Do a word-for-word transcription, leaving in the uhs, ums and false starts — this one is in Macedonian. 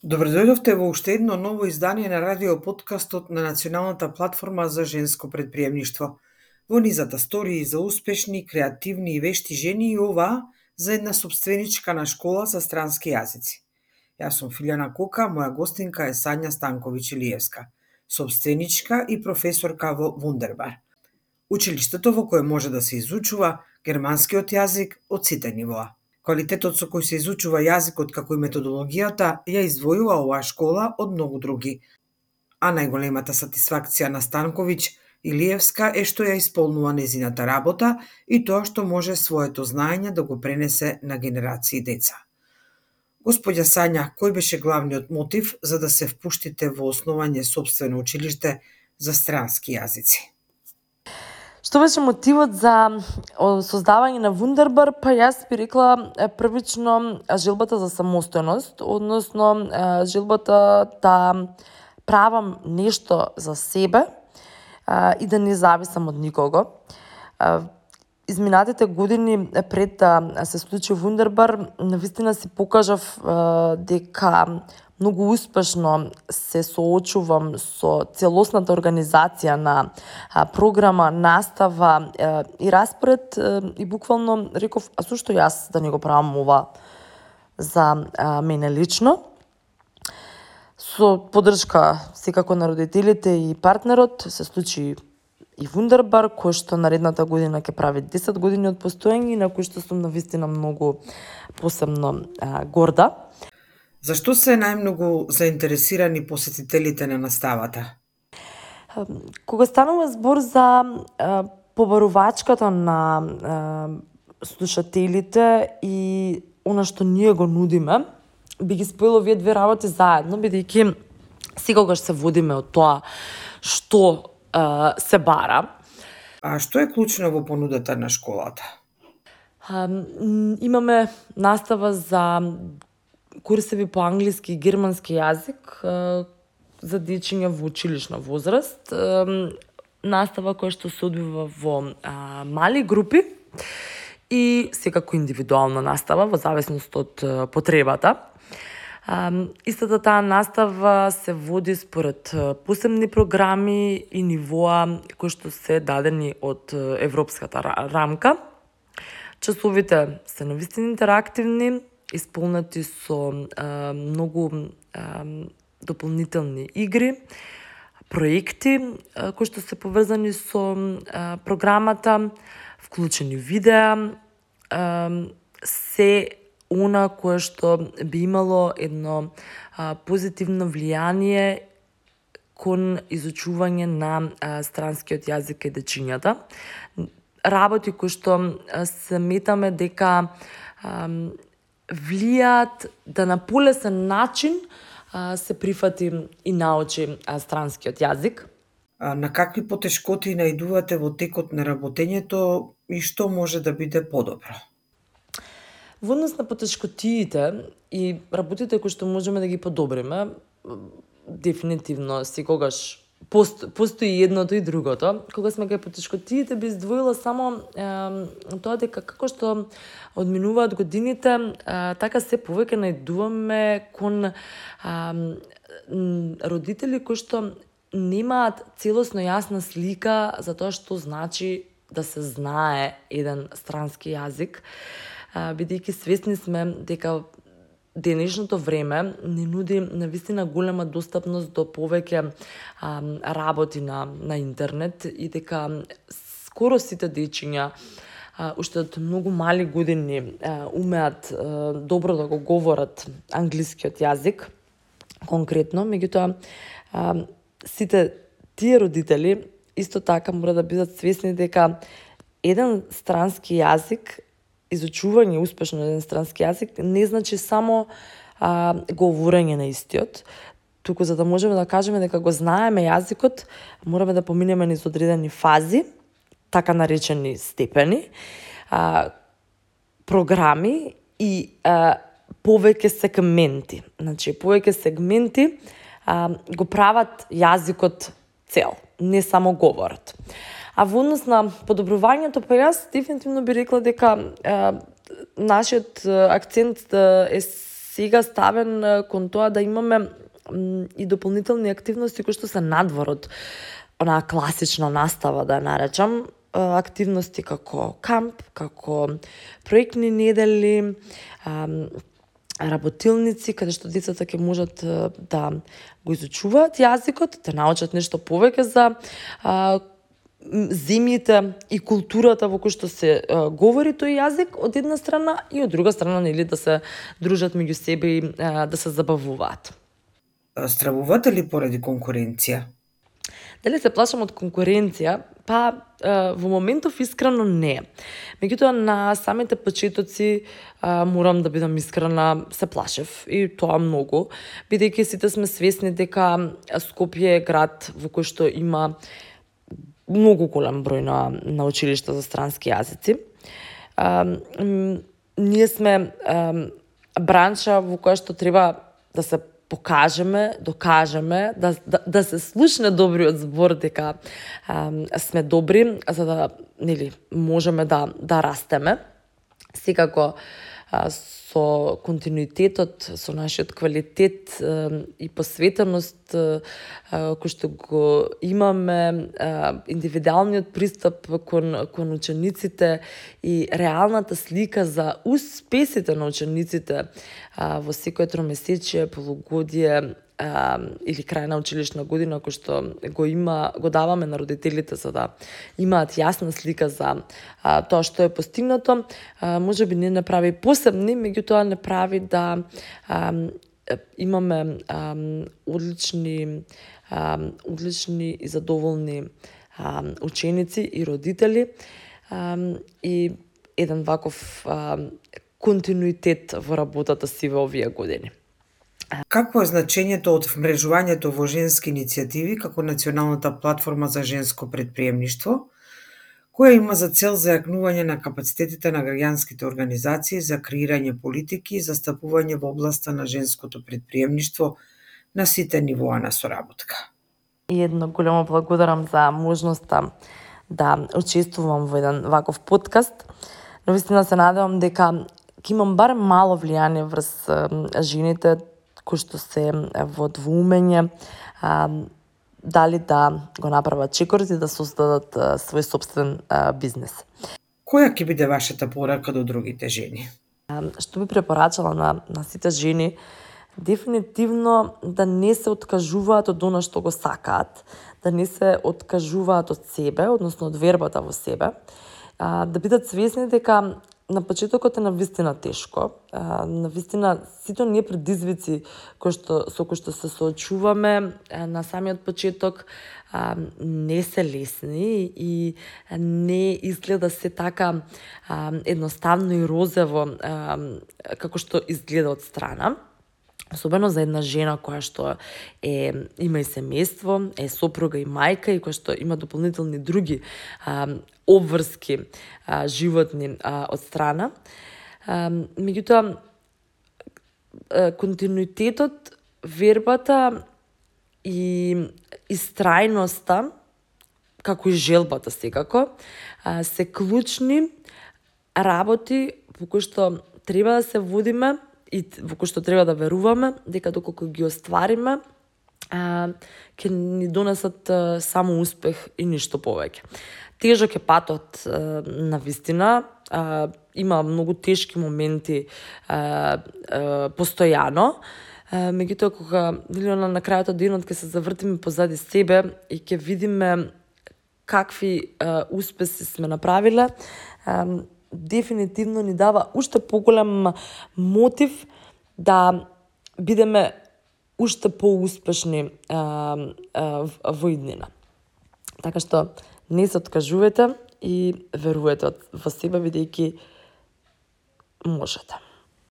Добро дојдовте во уште едно ново издание на радио подкастот на Националната платформа за женско предприемништво. Во низата стории за успешни, креативни и вешти жени и оваа за една собственичка на школа за странски јазици. Јас сум Филјана Кока, моја гостинка е Сања Станковиќ-Илиевска, собственичка и професорка во Вундербар, училиштето во кое може да се изучува германскиот јазик од сите нивоа. Квалитетот со кој се изучува јазикот како и методологијата ја издвојува оваа школа од многу други. А најголемата сатисфакција на Станковиќ-Илиевска е што ја исполнува незината работа и тоа што може своето знаење да го пренесе на генерации деца. Господја Сања, кој беше главниот мотив за да се впуштите во основање сопствено училиште за странски јазици? Што беше мотивот за создавање на Вундербар? Па јас би рекла првично желбата за самостојност, односно желбата да правам нешто за себе и да не зависам од никого. Изминатите години пред да се случи Вундербар, навистина си покажав дека многу успешно се соочувам со целосната организација на програма, настава и распоред и буквално реков, а зошто јас да не го правам ова за мене лично? Со поддршка секако на родителите и партнерот се случи и Вундербар, кој што наредната година ќе прави десет години од постоење и на кој што сум навистина многу посебно а, горда. Зашто се најмногу заинтересирани посетителите на наставата? Кога станува збор за а, побарувачката на а, слушателите и она што ние го нудиме, би ги спојила овие две работи заедно, бидејќи секогаш се водиме од тоа што а, се бара. А што е клучно во понудата на школата? А, имаме настава за курсеви по англиски и германски јазик за дечиња во училишна возраст, настава која што се одвива во мали групи и секако индивидуална настава во зависност од потребата. Истата таа настава се води според посебни програми и нивоа кои што се дадени од европската рамка. Часовите се навистина интерактивни, исполнети со а, многу а, дополнителни игри, проекти а, кои што се поврзани со а, програмата, вклучени видеа, а, се она кое што би имало едно а, позитивно влијание кон изучување на а, странскиот јазик и дечињата. Работи кои што се метаме дека а, влијаат да на полесен начин а, се прифати и научи а, странскиот јазик. А на какви потешкоти наидувате во текот на работењето и што може да биде подобро? Во однос на потешкотиите и работите кои што можеме да ги подобриме, дефинитивно секогаш Пост, постои едното и другото. Кога сме кај потешкотиите, би издвоила само е, тоа дека како што одминуваат годините, е, така се повеќе наидуваме кон е, родители кои што немаат целосно јасна слика за тоа што значи да се знае еден странски јазик, бидејќи свесни сме дека денешното време не нуди навистина голема достапност до повеќе а, работи на, на интернет и дека скоро сите дечиња а, уште од многу мали години а, умеат а, добро да го говорат англискиот јазик, конкретно, меѓутоа а, сите тие родители исто така мора да бидат свесни дека еден странски јазик, изучување успешно еден странски јазик не значи само а, говорење на истиот, туку за да можеме да кажеме дека го знаеме јазикот, мораме да поминеме низ одредени фази, така наречени степени, а, програми и а, повеќе сегменти. Значи, повеќе сегменти а, го прават јазикот цел, не само говорот. А во однос на подобрувањето, па јас дефинитивно би рекла дека е, нашиот акцент е сега ставен кон тоа да имаме и дополнителни активности кои што се надвор од онаа класична настава, да наречам, активности како камп, како проектни недели, работилници, каде што децата ќе можат да го изучуваат јазикот, да научат нешто повеќе за а, земјите и културата во кој што се а, говори тој јазик од една страна и од друга страна, нели, да се дружат меѓу себе и а, да се забавуваат. Стравувате ли поради конкуренција? Дали се плашам од конкуренција? Па, во моментов искрено не. Меѓутоа, на самите почетоци, морам да бидам искрена, се плашев. И тоа многу. Бидејќи сите сме свесни дека Скопје е град во кој што има многу голем број на, на училишта за странски јазици. А, ние сме а, бранша во која што треба да се покажеме, докажеме, да, да, да се слушне добриот збор дека а, сме добри, за да, нели, можеме да, да растеме. Секако, а, со континуитетот, со нашиот квалитет а, и посветеност а, кој што го имаме, а, индивидуалниот пристап кон, кон учениците и реалната слика за успесите на учениците а, во секој тромесечие, полугодие а, или крај на училишна година, кој што го има, го даваме на родителите за да имаат јасна слика за а, тоа што е постигнато, а, може би не не прави посебни, меѓутоа не прави да а, имаме а, одлични а, одлични и задоволни а, ученици и родители а, и еден ваков а, континуитет во работата си во овие години. Какво е значењето од вмрежувањето во женски иницијативи како Националната платформа за женско предприемништво, која има за цел зајакнување на капацитетите на граѓанските организации за креирање политики и застапување во областа на женското предприемништво на сите нивоа на соработка? И едно големо благодарам за можноста да учествувам во еден ваков подкаст. Но вистина се надевам дека ќе имам барем мало влијание врз жените кои што се во двоумење а, дали да го направат чекорот и да создадат а, свој собствен а, бизнес. Која ќе биде вашата порака до другите жени? А, што би препорачала на, на сите жени, дефинитивно да не се откажуваат од она што го сакаат, да не се откажуваат од себе, односно од вербата во себе, а, да бидат свесни дека на почетокот е навистина тешко. А, навистина сите ние предизвици кои што со кои што се соочуваме а, на самиот почеток а, не се лесни и не изгледа се така а, едноставно и розево а, како што изгледа од страна. Особено за една жена која што е, има и семејство, е сопруга и мајка и која што има дополнителни други а, обврски а, животни а, од страна. А, меѓутоа, континуитетот, вербата и истрајноста, како и желбата секако, а, се клучни работи по кои што треба да се водиме и во кој што треба да веруваме, дека доколку ги оствариме, а, ќе ни донесат а, само успех и ништо повеќе. Тежок е патот а, на вистина, а, има многу тешки моменти а, а, постојано, а, меѓутоа кога на, на крајот од денот ќе се завртиме позади себе и ќе видиме какви а, успеси сме направиле, а, дефинитивно ни дава уште поголем мотив да бидеме уште поуспешни а, а, во иднина. Така што не се откажувате и верувате во себе, бидејќи можете.